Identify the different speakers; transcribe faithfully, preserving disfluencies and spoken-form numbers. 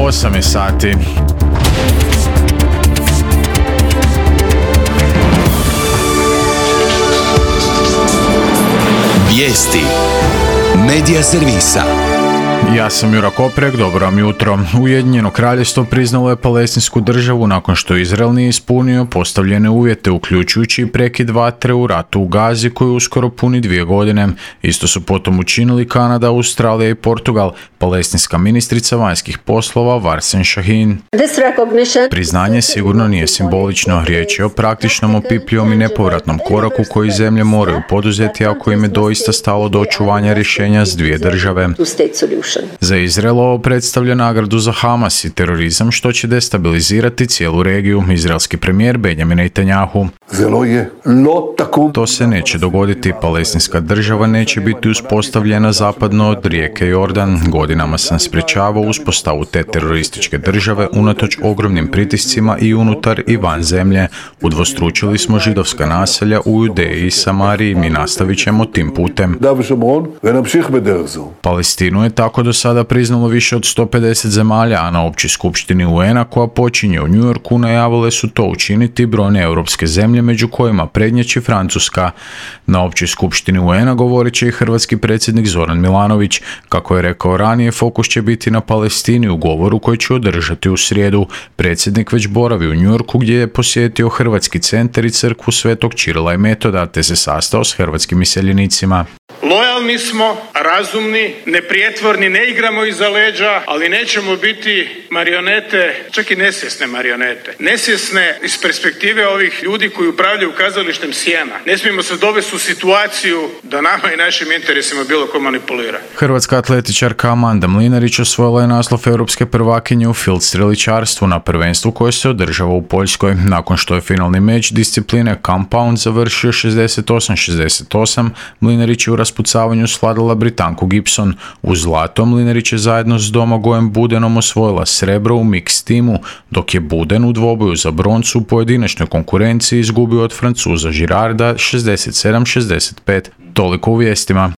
Speaker 1: osam je sati.
Speaker 2: Vijesti Medija servisa.
Speaker 1: Ja sam Jura Koprek, dobro vam jutro. Ujedinjeno kraljevstvo priznalo je palestinsku državu nakon što Izrael nije ispunio postavljene uvjete, uključujući i prekid vatre u ratu u Gazi koji uskoro puni dvije godine. Isto su potom učinili Kanada, Australija i Portugal. Palestinska ministrica vanjskih poslova Varsen Shahin. Priznanje sigurno nije simbolično, riječ je o praktičnom, opipljivom i nepovratnom koraku koji zemlje moraju poduzeti ako im je doista stalo do očuvanja rješenja s dvije države. Za Izrael ovo predstavlja nagradu za Hamas i terorizam što će destabilizirati cijelu regiju. Izraelski premijer Benjamin Netanjahu. To se neće dogoditi. Palestinska država neće biti uspostavljena zapadno od rijeke Jordan. Godinama sam sprječavao uspostavu te terorističke države unatoč ogromnim pritiscima i unutar i van zemlje. Udvostručili smo židovska naselja u Judeji i Samariji. Mi nastavit ćemo tim putem. Palestinu je tako do sada priznalo više od sto pedeset zemalja, a na općoj skupštini U N-a koja počinje u New Yorku najavile su to učiniti brojne europske zemlje, među kojima prednjači Francuska. Na općoj skupštini U N-a govorit će i hrvatski predsjednik Zoran Milanović. Kako je rekao ranije, fokus će biti na Palestini u govoru koji će održati u srijedu. Predsjednik već boravi u New Yorku gdje je posjetio Hrvatski centar i crkvu Svetog Čirila i Metoda te se sastao s hrvatskim iseljenicima.
Speaker 3: Lojalni smo, razumni, neprijetvorni, ne igramo iza leđa, ali nećemo biti marionete, čak i nesvjesne marionete. Nesvjesne iz perspektive ovih ljudi koji upravljaju kazalištem sjena. Ne smijemo se dovesti u situaciju da nama i našim interesima bilo ko manipulira.
Speaker 1: Hrvatska atletičarka Amanda Mlinarić osvojila je naslov europske prvakinje u field streličarstvu na prvenstvu koje se održava u Poljskoj. Nakon što je finalni meč discipline compound završio šezdeset osam šezdeset osam, Mlinarić je u raspucavanju svladala Britanku Gibson. U zlato Mlinarić je zajedno s Domagojem Budenom osvojila srebro u mix timu, dok je Buden u dvoboju za broncu u pojedinačnoj konkurenciji izgubio od Francuza Girarda šezdeset sedam šezdeset pet. Toliko u vijestima.